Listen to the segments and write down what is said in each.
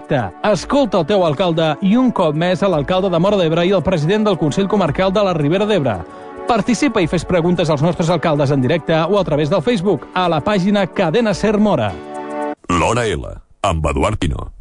directe. Escolta el teu alcalde i un cop més a l'alcalde de Móra d'Ebre i el president del Consell Comarcal de la Ribera d'Ebre. Participa i fes preguntes als nostres alcaldes en directe o a través del Facebook a la pàgina Cadena Ser Móra. L'Hora L, amb Eduard Pino.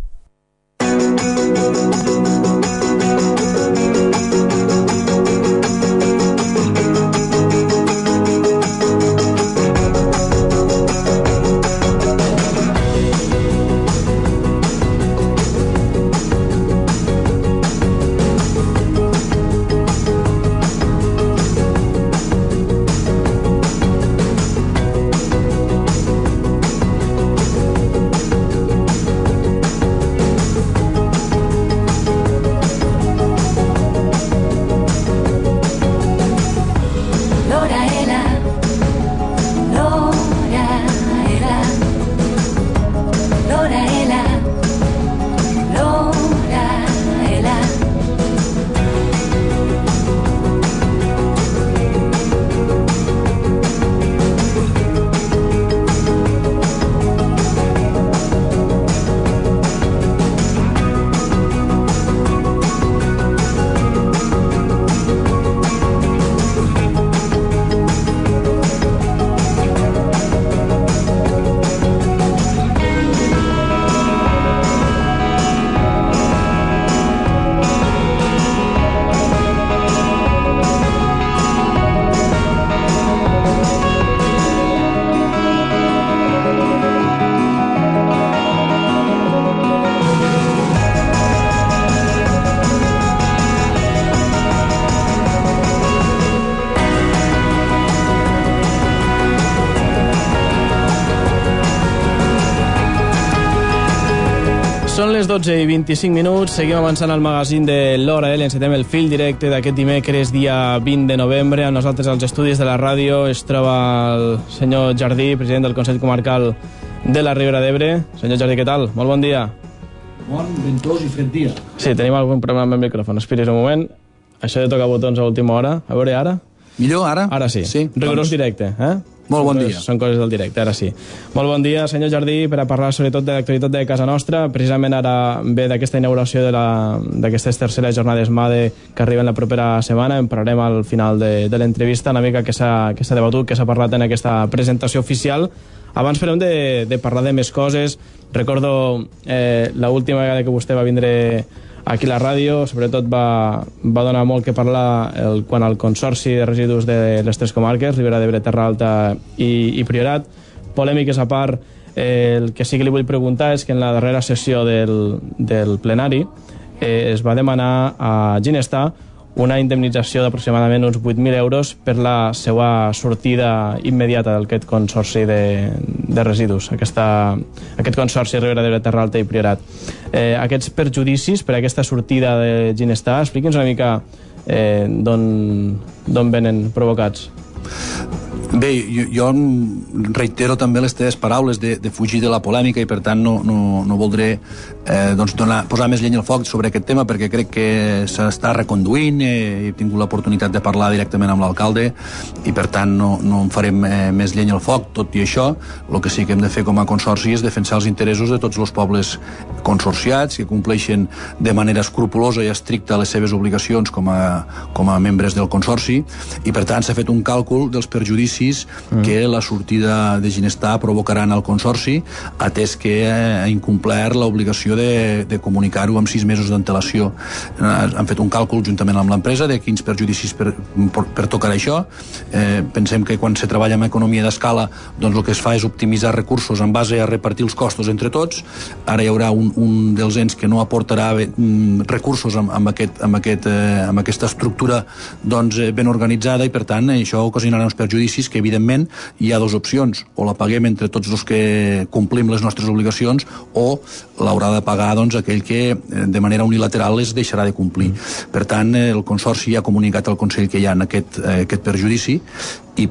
Són les 12:25, seguim avançant al magazín de l'Hora L, encetem el fil directe d'aquest dimecres, dia 20 de novembre. Amb nosaltres als estudis de la ràdio es troba el senyor Jardí, president del Consell Comarcal de la Ribera d'Ebre. Senyor Jardí, què tal? Molt bon dia. Bon, ventós i fred dia. Sí, tenim algun problema amb el micròfon. Espera't un moment. Això de tocar botons a última hora. A veure, ara? Millor, ara? Ara sí. Sí. Rigorós directe, eh? Molt bon dia. Són coses del directe, ara sí. Molt bon dia, senyor Jardí, per a parlar sobretot de l'actualitat de casa nostra. Precisament ara ve d'aquesta inauguració d'aquestes terceres jornades MADE que arriben la propera setmana. En parlarem al final de l'entrevista, una mica que s'ha debatut, que s'ha parlat en aquesta presentació oficial. Abans farem de parlar de més coses. Recordo l'última vegada que vostè va vindre aquí a la ràdio, sobretot va donar molt que parlar quan al Consorci de Residus de les tres comarques, Ribera d'Ebre, Terra Alta i Priorat. Polèmiques a part, el que sí que li vull preguntar és que en la darrera sessió del plenari es va demanar a Ginestar una indemnització d'aproximadament uns 8.000 euros per la seva sortida immediata d'aquest consorci de residus, aquest consorci Ribera d'Ebre, Terra Alta i Priorat. Aquests perjudicis per aquesta sortida de Ginestar, expliqui'ns una mica d'on venen provocats. Bé, jo reitero també les teves paraules de fugir de la polèmica i per tant no voldré posar més llenya al foc sobre aquest tema perquè crec que s'està reconduint, he tingut l'oportunitat de parlar directament amb l'alcalde i per tant no en farem més llenya al foc. Tot i això, el que sí que hem de fer com a consorci és defensar els interessos de tots els pobles consorciats que compleixen de manera escrupulosa i estricta les seves obligacions com a membres del consorci i per tant s'ha fet un càlcul dels perjudicis que la sortida de Ginestar provocaran al consorci, atès que ha incomplert l'obligació de comunicar-ho amb 6 mesos d'antelació. Han fet un càlcul juntament amb l'empresa de quins perjudicis pertocarà això. Pensem que quan se treballa amb economia d'escala, doncs el que es fa és optimitzar recursos en base a repartir els costos entre tots. Ara hi haurà un dels ens que no aportarà recursos amb aquesta estructura ben organitzada i per tant això ocasionarà uns perjudicis que evidentment hi ha dues opcions, o la paguem entre tots els que complim les nostres obligacions o l'haurà de pagar aquell que de manera unilateral les deixarà de complir. Per tant, el Consorci ja ha comunicat al Consell que hi ha aquest perjudici i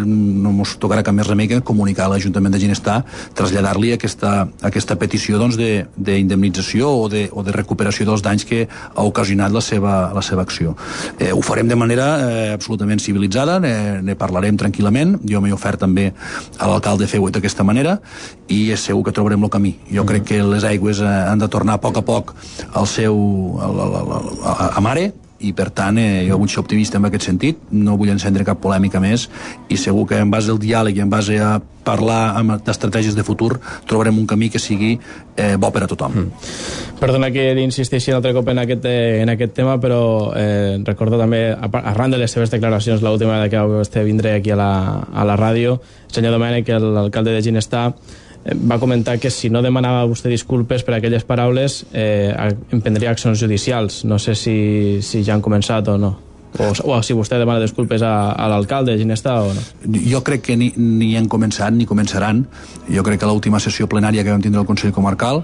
no ens tocarà cap més remei que comunicar a l'Ajuntament de Ginestar, traslladar-li aquesta petició d'indemnització o de recuperació dels danys que ha ocasionat la seva acció. Ho farem de manera absolutament civilitzada, ne parlarem tranquil·lament, jo m'he ofert també a l'alcalde fer-ho d'aquesta manera i és segur que trobarem el camí. Jo crec que les aigües han de tornar a poc al seu a mare, i per tant jo vull ser optimista en aquest sentit, no vull encendre cap polèmica més i segur que en base al diàleg i en base a parlar d'estratègies de futur trobarem un camí que sigui bo per a tothom. Perdona que insisteixi un altre cop en aquest tema, però recordo també, arran de les seves declaracions l'última que vostè vindré aquí a la ràdio, el senyor Domènech, l'alcalde de Ginestar, va comentar que si no demanava vostè disculpes per aquelles paraules emprendria accions judicials. No sé si ja han començat o no, o si vostè demana disculpes a l'alcalde de Ginestar o no. Jo crec que ni han començat ni començaran. Jo crec que l'última sessió plenària que vam tindre al Consell Comarcal,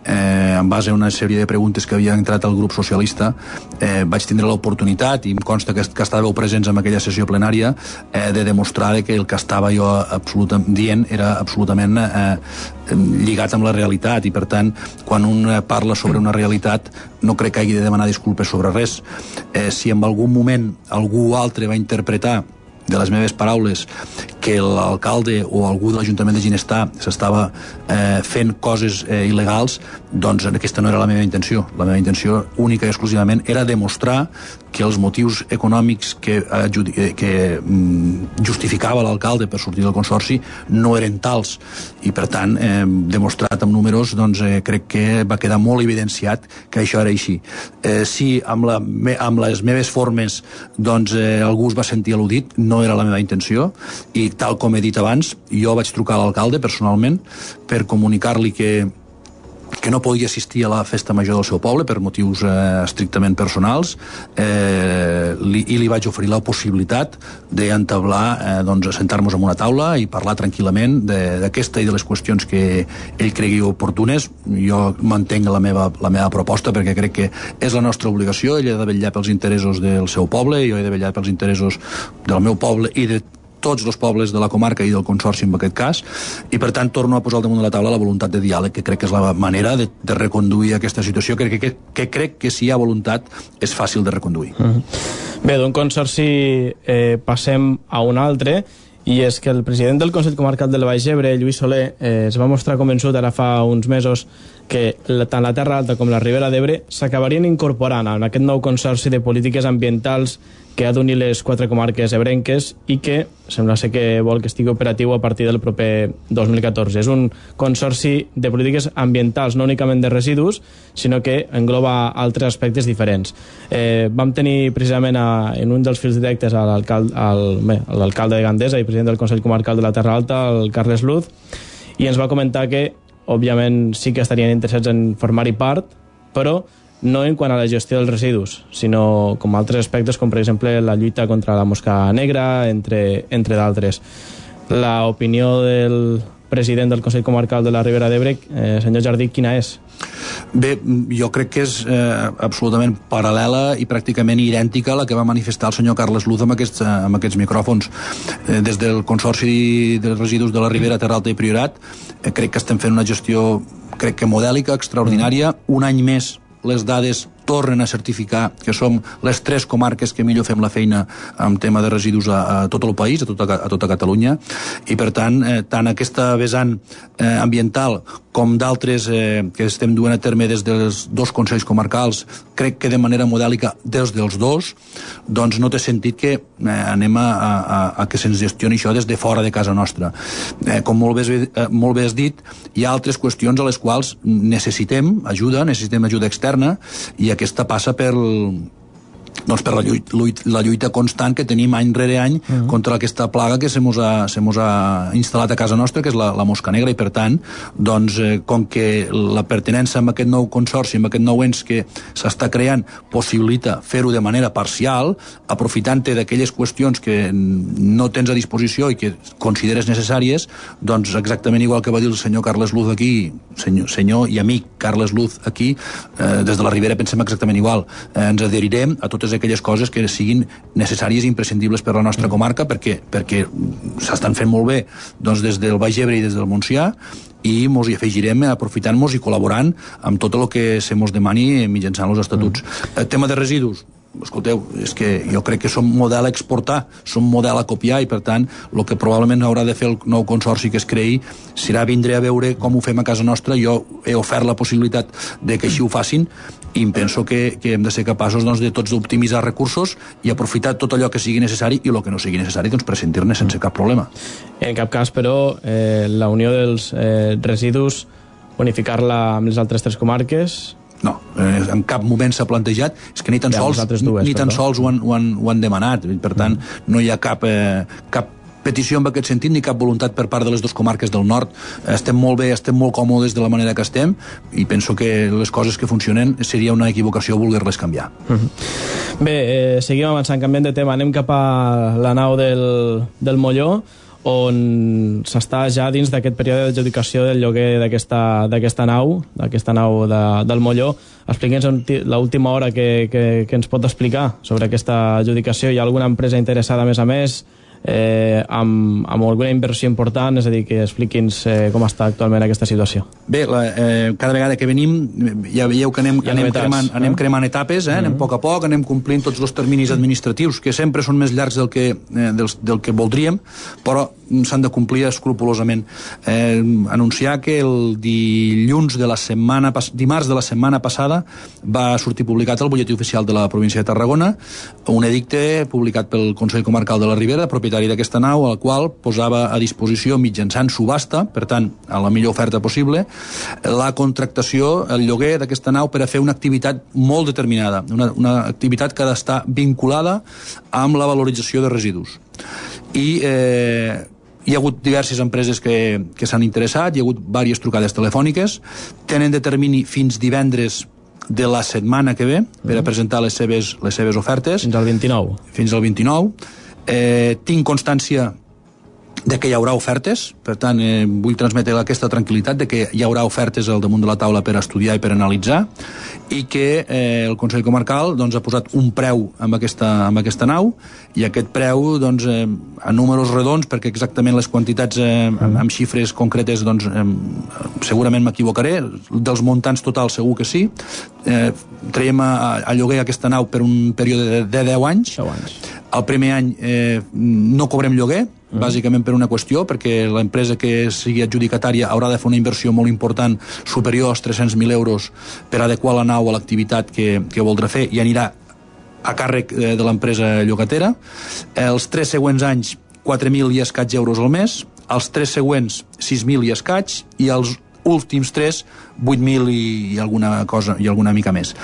en base a una sèrie de preguntes que havia entrat al grup socialista, vaig tindre l'oportunitat, i em consta que estàveu presents en aquella sessió plenària, de demostrar que el que estava jo dient era absolutament lligat amb la realitat, i per tant quan un parla sobre una realitat no crec que hagi de demanar disculpes sobre res. Si en algun moment algú altre va interpretar de les meves paraules que l'alcalde o algú de l'Ajuntament de Ginestar s'estava fent coses il·legals, doncs aquesta no era la meva intenció. La meva intenció única i exclusivament era demostrar que els motius econòmics que justificava l'alcalde per sortir del consorci no eren tals, i per tant demostrat amb números, doncs crec que va quedar molt evidenciat que això era així. Si amb les meves formes doncs algú es va sentir al·ludit, no era la meva intenció, i tal com he dit abans, jo vaig trucar a l'alcalde personalment per comunicar-li que no podia assistir a la festa major del seu poble per motius estrictament personals, i li vaig oferir la possibilitat d'entablar, sentar-nos en una taula i parlar tranquil·lament d'aquesta i de les qüestions que ell cregui oportunes. Jo mantenc la meva proposta perquè crec que és la nostra obligació. Ell ha de vetllar pels interessos del seu poble, jo he de vetllar pels interessos del meu poble i de tots els pobles de la comarca i del consorci en aquest cas, i per tant torno a posar al damunt de la taula la voluntat de diàleg, que crec que és la manera de reconduir aquesta situació, que crec que si hi ha voluntat és fàcil de reconduir. Bé, d'un consorci passem a un altre, i és que el president del Consell Comarcal del Baix Ebre, Lluís Soler, es va mostrar convençut ara fa uns mesos que tant la Terra Alta com la Ribera d'Ebre s'acabarien incorporant en aquest nou consorci de polítiques ambientals que ha d'unir les 4 comarques ebrenques i que sembla ser que vol que estigui operatiu a partir del proper 2014. És un consorci de polítiques ambientals, no únicament de residus, sinó que engloba altres aspectes diferents. Vam tenir precisament en un dels fils directes a l'alcalde de Gandesa i president del Consell Comarcal de la Terra Alta, el Carles Luz, i ens va comentar que, òbviament, sí que estarien interessats en formar-hi part, però no en quant a la gestió dels residus, sinó com altres aspectes, com per exemple la lluita contra la mosca negra, entre d'altres. L'opinió del president del Consell Comarcal de la Ribera d'Ebre, senyor Jardí, quina és? Bé, jo crec que és absolutament paral·lela i pràcticament idèntica a la que va manifestar el senyor Carles Luz amb aquests micròfons. Des del Consorci de Residus de la Ribera, Terra Alta i Priorat crec que estem fent una gestió, crec que modèlica, extraordinària. Un any més les dades tornen a certificar que som les 3 comarques que millor fem la feina en tema de residus a tot el país, a tota Catalunya, i per tant, tant aquesta vessant ambiental com d'altres que estem duent a terme des dels 2 consells comarcals, crec que de manera modèlica des dels 2, doncs no té sentit que anem a que se'ns gestioni això des de fora de casa nostra. Com molt bé has dit, hi ha altres qüestions a les quals necessitem ajuda externa, i aquesta passa per la lluita constant que tenim any rere any contra aquesta plaga que se mos ha instal·lat a casa nostra, que és la mosca negra, i per tant, doncs, com que la pertinença amb aquest nou consorci, amb aquest nou ens que s'està creant, possibilita fer-ho de manera parcial, aprofitant-te d'aquelles qüestions que no tens a disposició i que consideres necessàries, doncs exactament igual que va dir el senyor Carles Luz aquí, senyor i amic Carles Luz aquí, des de la Ribera pensem exactament igual. Ens adherirem a totes totes aquelles coses que siguin necessàries i imprescindibles per a la nostra comarca, perquè s'estan fent molt bé doncs, des del Baix Ebre i des del Montsià, i mos hi afegirem aprofitant-nos i col·laborant amb tot el que se mos demani mitjançant els estatuts. El tema de residus, escolteu, és que jo crec que som model a exportar, som model a copiar, i per tant el que probablement haurà de fer el nou consorci que es creï serà vindre a veure com ho fem a casa nostra. Jo he ofert la possibilitat de que així ho facin, i em penso que hem de ser capaços doncs, de tots d'optimitzar recursos i aprofitar tot allò que sigui necessari, i el que no sigui necessari doncs, prescindir-ne sense cap problema. En cap cas, però, la unió dels residus, unificar-la amb les altres 3 comarques... No, en cap moment s'ha plantejat, és que ni tan sols ho han demanat, per tant no hi ha cap petició en aquest sentit, ni cap voluntat per part de les 2 comarques del nord. Estem molt bé, estem molt còmodes de la manera que estem, i penso que les coses que funcionen seria una equivocació voler-les canviar. Bé, seguim avançant, canviant de tema, anem cap a la nau del Molló, on s'està ja dins d'aquest període d'adjudicació del lloguer d'aquesta nau del Molló. Expliqui'ns l'última hora que ens pot explicar sobre aquesta adjudicació. Hi ha alguna empresa interessada, a més, amb alguna inversió important? És a dir, que expliqui'ns com està actualment aquesta situació. Bé, cada vegada que venim ja veieu que anem cremant etapes, anem a poc, anem complint tots els terminis administratius, que sempre són més llargs del que voldríem, però s'han de complir escrupolosament. Anunciar que el dimarts de la setmana passada va sortir publicat al butlletí oficial de la província de Tarragona un edicte publicat pel Consell Comarcal de la Ribera, propietari d'aquesta nau, al qual posava a disposició mitjançant subhasta, per tant, a la millor oferta possible, la contractació, el lloguer d'aquesta nau per a fer una activitat molt determinada, una activitat que ha d'estar vinculada amb la valorització de residus. I hi ha hagut diverses empreses que s'han interessat, hi ha hagut diverses trucades telefòniques, tenen de termini fins divendres de la setmana que ve per a presentar les seves ofertes. Fins al 29. Fins al 29. Tinc constància de que hi haurà ofertes, per tant vull transmetre aquesta tranquil·litat de que hi haurà ofertes al damunt de la taula per estudiar i per analitzar, i que el Consell Comarcal doncs, ha posat un preu amb aquesta nau, i aquest preu doncs, a números redons, perquè exactament les quantitats amb xifres concretes doncs, segurament m'equivocaré, dels muntants totals segur que sí, traiem a lloguer aquesta nau per un període de 10 anys. El primer any no cobrem lloguer, bàsicament per una qüestió, perquè l'empresa que sigui adjudicatària haurà de fer una inversió molt important, superior als 300.000 euros, per adequar la nau a l'activitat que voldrà fer, i anirà a càrrec de l'empresa llogatera. Els 3 següents anys, 4.000 i escaig euros al mes, els 3 següents, 6.000 i escaig, i els últims 3, 8.000 i alguna cosa, i alguna mica més.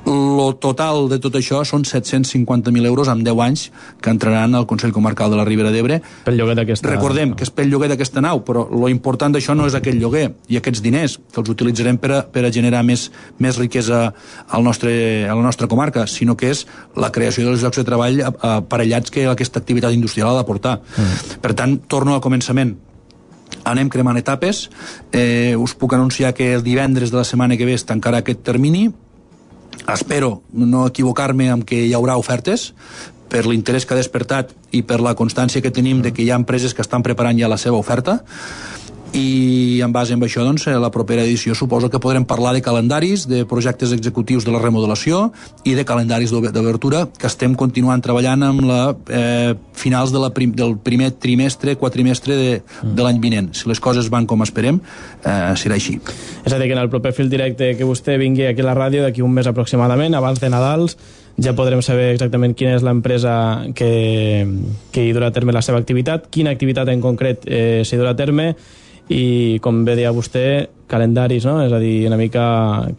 El total de tot això són 750.000 euros en 10 anys que entraran al Consell Comarcal de la Ribera d'Ebre. Recordem que és pel lloguer d'aquesta nau, però lo important d'això no és aquest lloguer i aquests diners, que els utilitzarem per a generar més riquesa a la nostra comarca, sinó que és la creació dels llocs de treball aparellats que aquesta activitat industrial ha d'aportar. Per tant, torno al començament. Anem cremant etapes. Us puc anunciar que el divendres de la setmana que ve es tancarà aquest termini. Espero no equivocar-me amb que hi haurà ofertes, per l'interès que ha despertat i per la constància que tenim de que hi ha empreses que estan preparant ja la seva oferta, i en base a això doncs, la propera edició suposo que podrem parlar de calendaris, de projectes executius de la remodelació i de calendaris d'obertura, que estem continuant treballant amb finals del primer trimestre, quatrimestre de l'any vinent. Si les coses van com esperem, serà així. És a dir, que en el proper fil directe que vostè vingui aquí a la ràdio d'aquí un mes aproximadament, abans de Nadals, ja podrem saber exactament quina és l'empresa que hi durà a terme la seva activitat, quina activitat en concret s'hi durà a terme, i, com bé deia vostè, calendaris, no? És a dir, una mica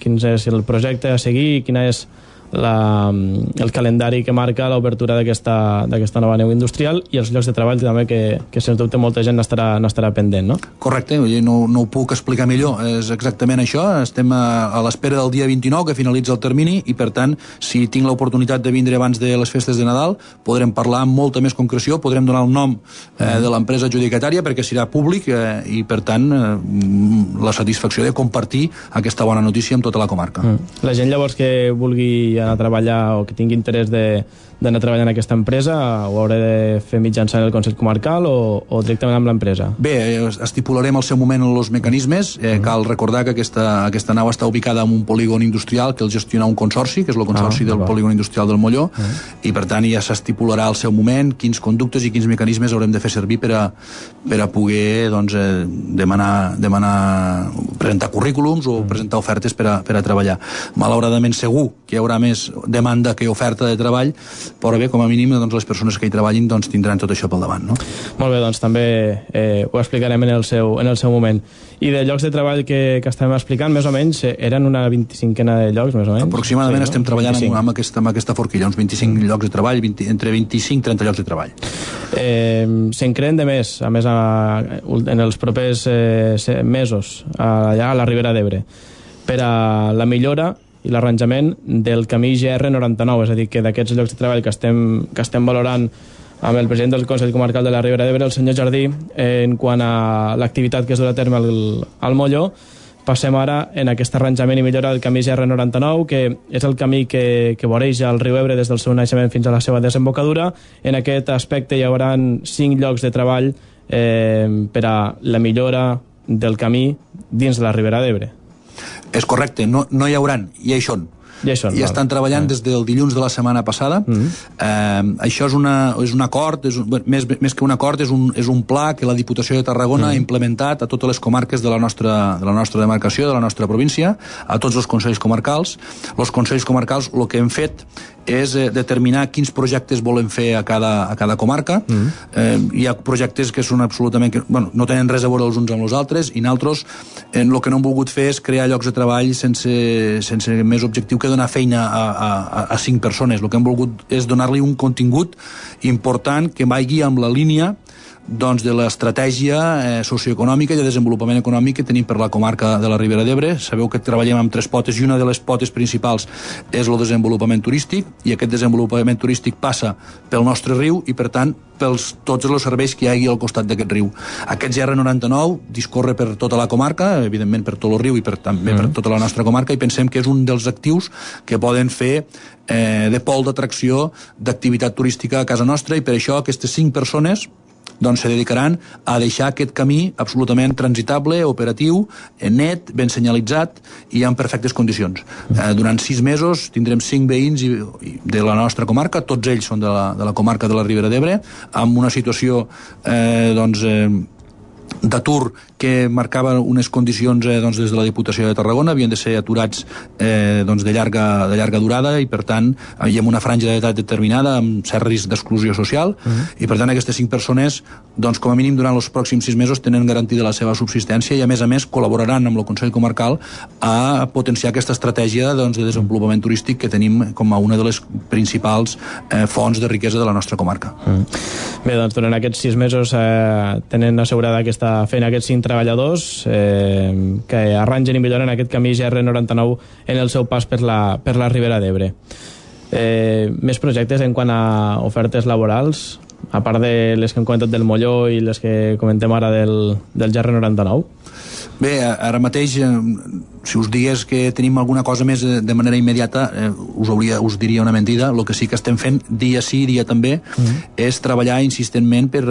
quin és el projecte a seguir, quina és el calendari que marca l'obertura d'aquesta nova nau industrial, i els llocs de treball també, que sens dubte molta gent n'estarà pendent, no? Correcte, no ho puc explicar millor, és exactament això. Estem a l'espera del dia 29 que finalitza el termini, i per tant, si tinc l'oportunitat de vindre abans de les festes de Nadal, podrem parlar amb molta més concreció, podrem donar el nom de l'empresa adjudicatària, perquè serà públic, i per tant la satisfacció de compartir aquesta bona notícia amb tota la comarca. La gent llavors que vulgui anar a treballar o que tingui interès d'anar a treballar en aquesta empresa, ho hauré de fer mitjançant el Consell Comarcal o directament amb l'empresa? Bé, estipularem al seu moment els mecanismes. Cal recordar que aquesta nau està ubicada en un polígon industrial que el gestiona un consorci, que és el consorci del polígon industrial del Molló, i per tant ja s'estipularà al seu moment quins conductes i quins mecanismes haurem de fer servir per a poder presentar currículums o presentar ofertes per a treballar. Malauradament segur que hi haurà més demanda que oferta de treball, però bé, com a mínim les persones que hi treballin tindran tot això pel davant, no? Molt bé, doncs també ho explicarem en el seu moment. I de llocs de treball que estem explicant, més o menys, eren una 25ena de llocs, més o menys? Aproximadament estem treballant amb aquesta forquilla, uns 25 llocs de treball, entre 25 i 30 llocs de treball. Se'n creen de més, a més, en els propers mesos, allà a la Ribera d'Ebre, per a la millora i l'arranjament del camí GR99, és a dir, que d'aquests llocs de treball que estem valorant amb el president del Consell Comarcal de la Ribera d'Ebre, el senyor Jardí, en quant a l'activitat que es durà a terme al Molló, passem ara en aquest arranjament i millora del camí GR99, que és el camí que voreja el riu Ebre des del seu naixement fins a la seva desembocadura. En aquest aspecte hi haurà 5 llocs de treball per a la millora del camí dins de la Ribera d'Ebre. És correcte, no hi hauran, ja hi són. Ja estan treballant des del dilluns de la setmana passada. Això és un acord, més que un acord, és un pla que la Diputació de Tarragona ha implementat a totes les comarques de la nostra demarcació, de la nostra província, a tots els consells comarcals. Els consells comarcals el que hem fet és determinar quins projectes volen fer a cada comarca. Hi ha projectes que són absolutament no tenen res a veure els uns amb els altres, i nosaltres el que no hem volgut fer és crear llocs de treball sense més objectiu que donar feina a 5 persones. El que hem volgut és donar-li un contingut important que vagi amb la línia de l'estratègia socioeconòmica i de desenvolupament econòmic que tenim per la comarca de la Ribera d'Ebre. Sabeu que treballem amb 3 potes i una de les potes principals és el desenvolupament turístic, i aquest desenvolupament turístic passa pel nostre riu i, per tant, tots els serveis que hi hagi al costat d'aquest riu. Aquest GR99 discorre per tota la comarca, evidentment per tot el riu i també per tota la nostra comarca, i pensem que és un dels actius que poden fer de pol d'atracció d'activitat turística a casa nostra, i per això aquestes 5 persones se dedicaran a deixar aquest camí absolutament transitable, operatiu, net, ben senyalitzat i en perfectes condicions. Durant 6 mesos tindrem 5 veïns de la nostra comarca, tots ells són de la comarca de la Ribera d'Ebre, amb una situació d'atur que marcava unes condicions des de la Diputació de Tarragona, havien de ser aturats de llarga durada, i per tant hi ha una franja d'edat determinada amb cert risc d'exclusió social, i per tant aquestes 5 persones com a mínim durant els pròxims 6 mesos tenen garantida la seva subsistència, i a més col·laboraran amb el Consell Comarcal a potenciar aquesta estratègia de desenvolupament turístic que tenim com a una de les principals fonts de riquesa de la nostra comarca. Bé, durant aquests 6 mesos tenen assegurada aquesta feina aquests 5 treballadors que arrangen i milloren aquest camí GR99 en el seu pas per la Ribera d'Ebre. Més projectes en quant a ofertes laborals, a part de les que hem comentat del Molló i les que comentem ara del GR99? Bé, ara mateix, si us digués que tenim alguna cosa més de manera immediata, us diria una mentida. El que sí que estem fent, dia sí, dia també, és treballar insistentment per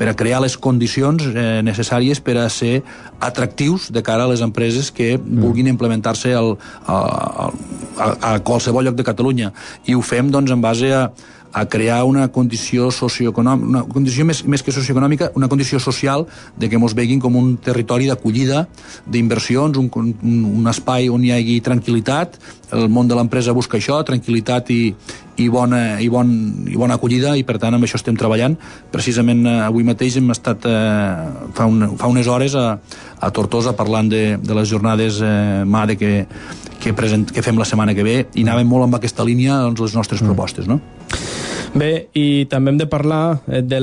a crear les condicions necessàries per a ser atractius de cara a les empreses que vulguin implementar-se a qualsevol lloc de Catalunya. I ho fem en base a crear una condició socioeconòmica, una condició més que socioeconòmica, una condició social de que ens veguin com un territori d'acollida, d'inversions, un espai on hi hagi tranquil·litat. El món de l'empresa busca això, tranquil·litat i bona acollida, i per tant amb això estem treballant. Precisament avui mateix hem estat fa unes hores a Tortosa parlant de les jornades MADE que fem la setmana que ve, i anàvem molt amb aquesta línia les nostres propostes, no? Bé, i també hem de parlar de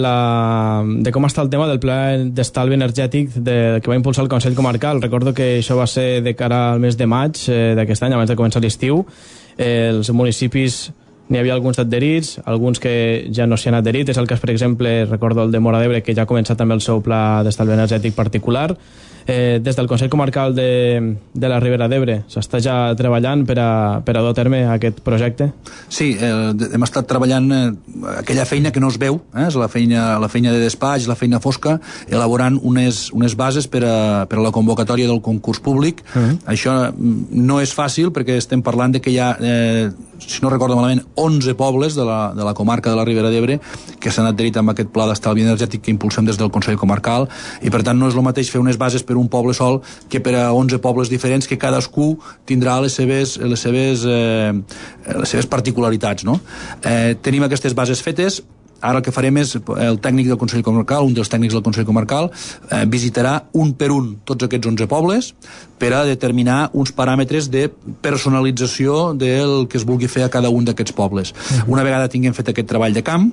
com està el tema del pla d'estalvi energètic que va impulsar el Consell Comarcal. Recordo que això va ser de cara al mes de maig d'aquest any, abans de començar l'estiu. Els municipis n'hi havia alguns adherits, alguns que ja no s'hi han adherit. És el cas, per exemple, recordo el de Móra d'Ebre, que ja ha començat també el seu pla d'estalvi energètic particular. Des del Consell Comarcal de la Ribera d'Ebre s'està ja treballant per a dur a terme aquest projecte? Sí, hem estat treballant aquella feina que no es veu, és la feina de despatx, la feina fosca, elaborant unes bases per a la convocatòria del concurs públic. Això no és fàcil perquè estem parlant de que hi ha, si no recordo malament, 11 pobles de la comarca de la Ribera d'Ebre que s'han adherit amb aquest pla d'estalvi energètic que impulsem des del Consell Comarcal, i per tant no és el mateix fer unes bases per un poble sol que per a 11 pobles diferents, que cadascú tindrà les seves particularitats, no? Tenim aquestes bases fetes. Ara el que farem és, el tècnic del Consell Comarcal, un dels tècnics del Consell Comarcal, visitarà un per un tots aquests 11 pobles per a determinar uns paràmetres de personalització del que es vulgui fer a cada un d'aquests pobles. Una vegada tinguem fet aquest treball de camp,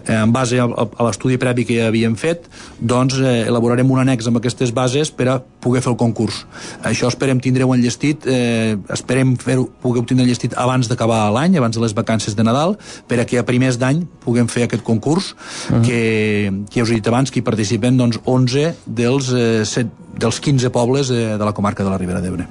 en base a l'estudi previ que ja havíem fet, doncs elaborarem un annex amb aquestes bases per a poder fer el concurs. Això esperem tindreu enllestit, esperem poder obtindre enllestit abans d'acabar l'any, abans de les vacances de Nadal, per a que a primers d'any puguem fer aquest concurs que ja us he dit abans, que hi participen doncs 11 dels 15 pobles de la comarca de la Ribera d'Ebre.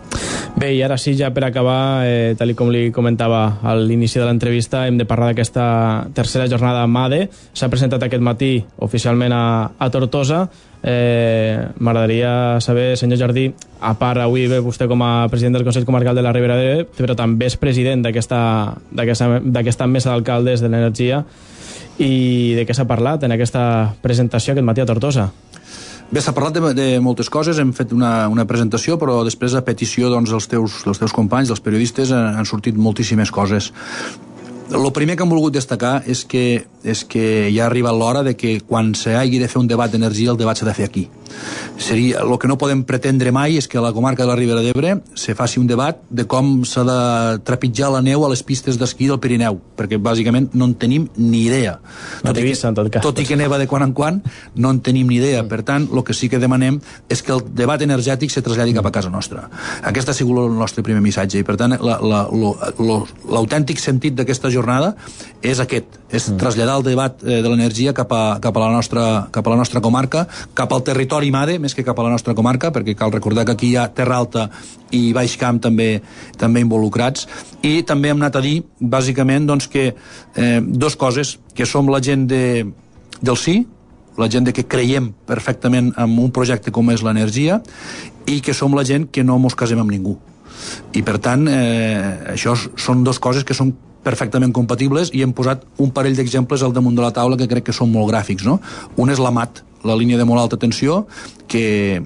Bé, i ara sí, ja per acabar, tal com li comentava a l'inici de l'entrevista, hem de parlar d'aquesta tercera jornada MADE. S'ha presentat aquest matí oficialment a Tortosa. M'agradaria saber, senyor Jardí, a part avui ve vostè com a president del Consell Comarcal de la Ribera d'Ebre, però també és president d'aquesta mesa d'alcaldes de l'energia, i de què s'ha parlat en aquesta presentació aquest matí a Tortosa? Bé, s'ha parlat de moltes coses, hem fet una presentació, però després a petició dels teus companys, dels periodistes, han sortit moltíssimes coses. El primer que hem volgut destacar és que ja ha arribat l'hora de que quan s'hagi de fer un debat d'energia, el debat s'ha de fer aquí. El que no podem pretendre mai és que a la comarca de la Ribera d'Ebre se faci un debat de com s'ha de trepitjar la neu a les pistes d'esquí del Pirineu, perquè bàsicament no en tenim ni idea. Tot i que neva de quan en quan, no en tenim ni idea. Per tant, el que sí que demanem és que el debat energètic se traslladi cap a casa nostra. Aquest ha sigut el nostre primer missatge, i per tant l'autèntic sentit d'aquesta jornada és aquest, és traslladar el debat de l'energia cap a la nostra comarca, cap al territori MADE, més que cap a la nostra comarca, perquè cal recordar que aquí hi ha Terra Alta i Baix Camp també involucrats. I també hem anat a dir, bàsicament, doncs, que dues coses, que som la gent del sí, la gent que creiem perfectament en un projecte com és l'energia, i que som la gent que no mos casem amb ningú. I per tant, això són dues coses que són perfectament compatibles, i hem posat un parell d'exemples al damunt de la taula que crec que són molt gràfics, no? Un és la MAT, la línia de molt alta tensió, que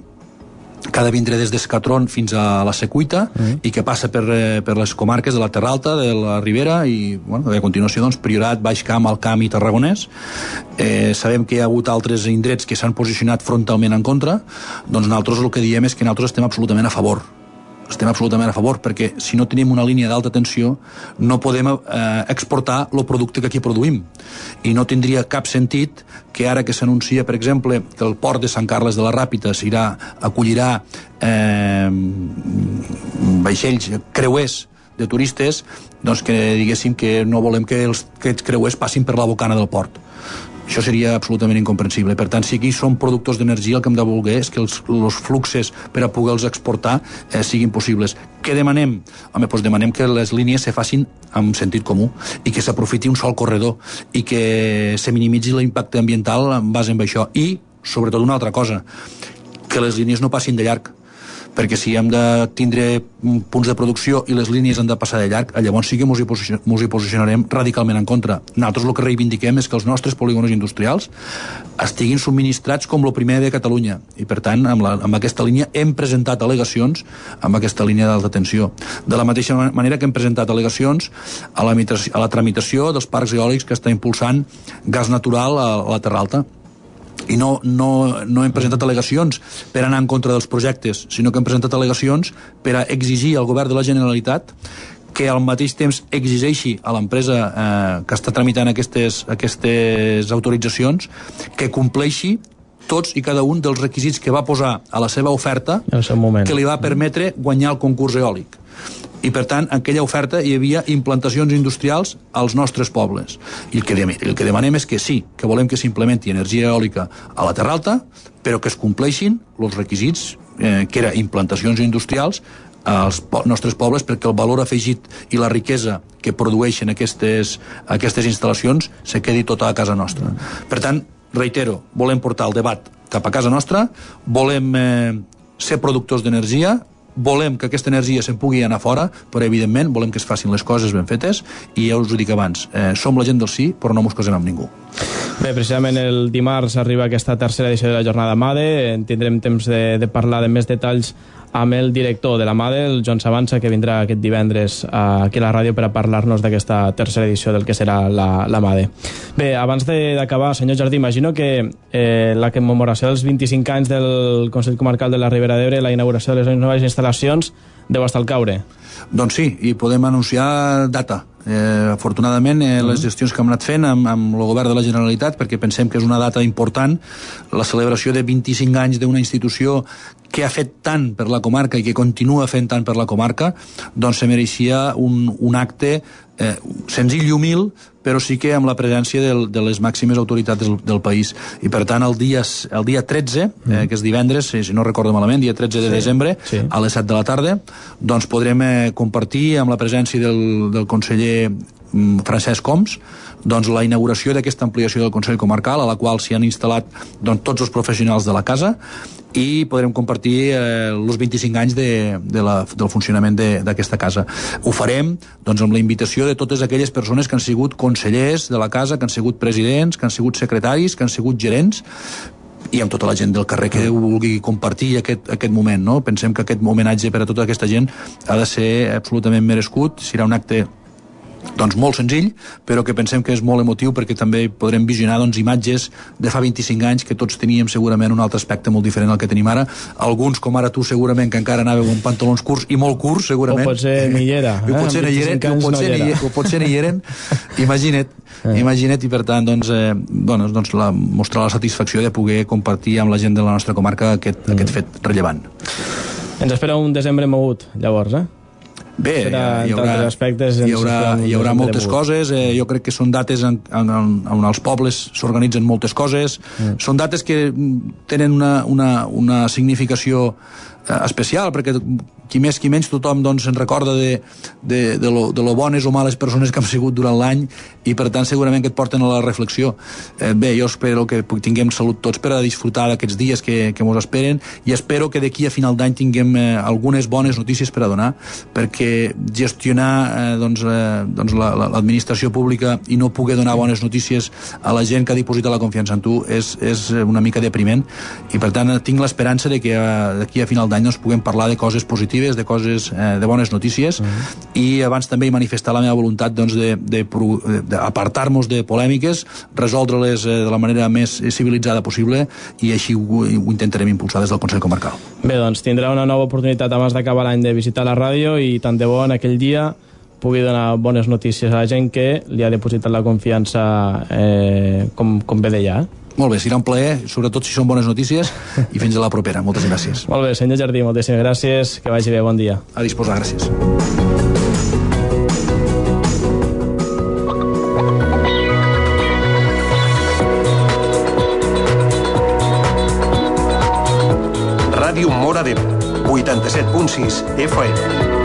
ha de vindre des d'Escatron fins a la Secuita, i que passa per les comarques de la Terra Alta, de la Ribera, i a continuació doncs, Priorat, Baix Camp, Alt Camp i Tarragonès. Sabem que hi ha hagut altres indrets que s'han posicionat frontalment en contra. Doncs nosaltres el que diem és que nosaltres estem absolutament a favor, perquè si no tenim una línia d'alta tensió no podem exportar el producte que aquí produïm, i no tindria cap sentit que ara que s'anuncia, per exemple, que el port de Sant Carles de la Ràpita acollirà vaixells creuers de turistes, doncs que diguéssim que no volem que aquests creuers passin per la bocana del port. Això seria absolutament incomprensible. Per tant, si aquí som productors d'energia, el que hem de voler és que els fluxes per a poder-los exportar siguin possibles. Què demanem? Home, doncs demanem que les línies se facin amb sentit comú, i que s'aprofiti un sol corredor, i que se minimitzi l'impacte ambiental en base a això. I, sobretot, una altra cosa, que les línies no passin de llarg, perquè si hem de tindre punts de producció i les línies han de passar de llarg, llavors sí que mos hi posicionarem radicalment en contra. Nosaltres el que reivindiquem és que els nostres polígons industrials estiguin subministrats com el primer de Catalunya, i per tant amb aquesta línia hem presentat al·legacions amb aquesta línia d'alta tensió. De la mateixa manera que hem presentat al·legacions a la tramitació dels parcs eòlics que està impulsant Gas Natural a la Terra Alta. I no hem presentat al·legacions per anar en contra dels projectes, sinó que hem presentat al·legacions per a exigir al govern de la Generalitat que al mateix temps exigeixi a l'empresa que està tramitant aquestes autoritzacions que compleixi tots i cada un dels requisits que va posar a la seva oferta que li va permetre guanyar el concurs eòlic. i per tant en aquella oferta hi havia implantacions industrials als nostres pobles, i el que demanem és que sí, que volem que s'implementi energia eòlica a la Terra Alta, però que es compleixin els requisits que eren implantacions industrials als nostres pobles, perquè el valor afegit i la riquesa que produeixen aquestes instal·lacions se quedi tota a casa nostra. Per tant, reitero, volem portar el debat cap a casa nostra, volem ser productors d'energia, volem que aquesta energia se'n pugui anar fora, però evidentment volem que es facin les coses ben fetes, i ja us ho dic abans, som la gent del sí, però no mos casem amb ningú. Bé, precisament el dimarts arriba aquesta tercera edició de la jornada MADE, tindrem temps de parlar de més detalls amb el director de la MADE, el Joan Sabanza, que vindrà aquest divendres aquí a la ràdio per a parlar-nos d'aquesta tercera edició del que serà la MADE. Bé, abans d'acabar, senyor Jardí, imagino que la commemoració dels 25 anys del Consell Comarcal de la Ribera d'Ebre, la inauguració de les noves instal·lacions, deu estar al caure. Doncs sí, i podem anunciar data. Afortunadament, les gestions que hem anat fent amb el govern de la Generalitat, perquè pensem que és una data important, la celebració de 25 anys d'una institució que ha fet tant per la comarca i que continua fent tant per la comarca, doncs se mereixia un acte senzill i humil, però sí que amb la presència de les màximes autoritats del país. I per tant, el dia 13, que és divendres, si no recordo malament, dia 13 de desembre, a les 7 de la tarda, doncs podrem compartir amb la presència del conseller Francesc Homs doncs la inauguració d'aquesta ampliació del Consell Comarcal, a la qual s'hi han instal·lat doncs, tots els professionals de la casa, i podrem compartir els 25 anys del funcionament d'aquesta casa. Ho farem doncs, amb la invitació de totes aquelles persones que han sigut consellers de la casa, que han sigut presidents, que han sigut secretaris, que han sigut gerents, i amb tota la gent del carrer que vulgui compartir aquest moment, no? Pensem que aquest homenatge per a tota aquesta gent ha de ser absolutament merescut, serà un acte doncs molt senzill, però que pensem que és molt emotiu, perquè també podrem visionar doncs, imatges de fa 25 anys que tots teníem segurament un altre aspecte molt diferent al que tenim ara. Alguns, com ara tu, segurament que encara anàveu amb pantalons curts, i molt curts, segurament. O potser ni hi era. O potser ni hi eren. Imagina't, i per tant doncs, mostrar la satisfacció de poder compartir amb la gent de la nostra comarca aquest fet rellevant. Ens espera un desembre mogut, llavors, Bé, hi haurà moltes coses. Jo crec que són dates on els pobles s'organitzen moltes coses. Són dates que tenen una significació especial, perquè qui més qui menys tothom doncs, se'n recorda de lo bones o males persones que han sigut durant l'any, i per tant segurament que et porten a la reflexió. Bé, jo espero que tinguem salut tots per a disfrutar d'aquests dies que mos esperen, i espero que d'aquí a final d'any tinguem algunes bones notícies per a donar, perquè gestionar l'administració pública i no poder donar bones notícies a la gent que ha dipositat la confiança en tu és una mica depriment, i per tant tinc l'esperança de que d'aquí a final d'any doncs, puguem parlar de coses positives, de coses, de bones notícies, i abans també manifestar la meva voluntat doncs, d'apartar-nos de polèmiques, resoldre-les de la manera més civilitzada possible, i així ho intentarem impulsar des del Consell Comarcal. Bé, doncs tindrà una nova oportunitat abans d'acabar l'any de visitar la ràdio, i tant de bo en aquell dia pugui donar bones notícies a la gent que li ha depositat la confiança com bé deia. Molt bé, serà un plaer, sobretot si són bones notícies, i fins a la propera. Moltes gràcies. Molt bé, senyor Jardí, moltíssimes gràcies, que vagi bé, bon dia. A disposar, gràcies. Ràdio Móra d'Ebre, 87.6 FM.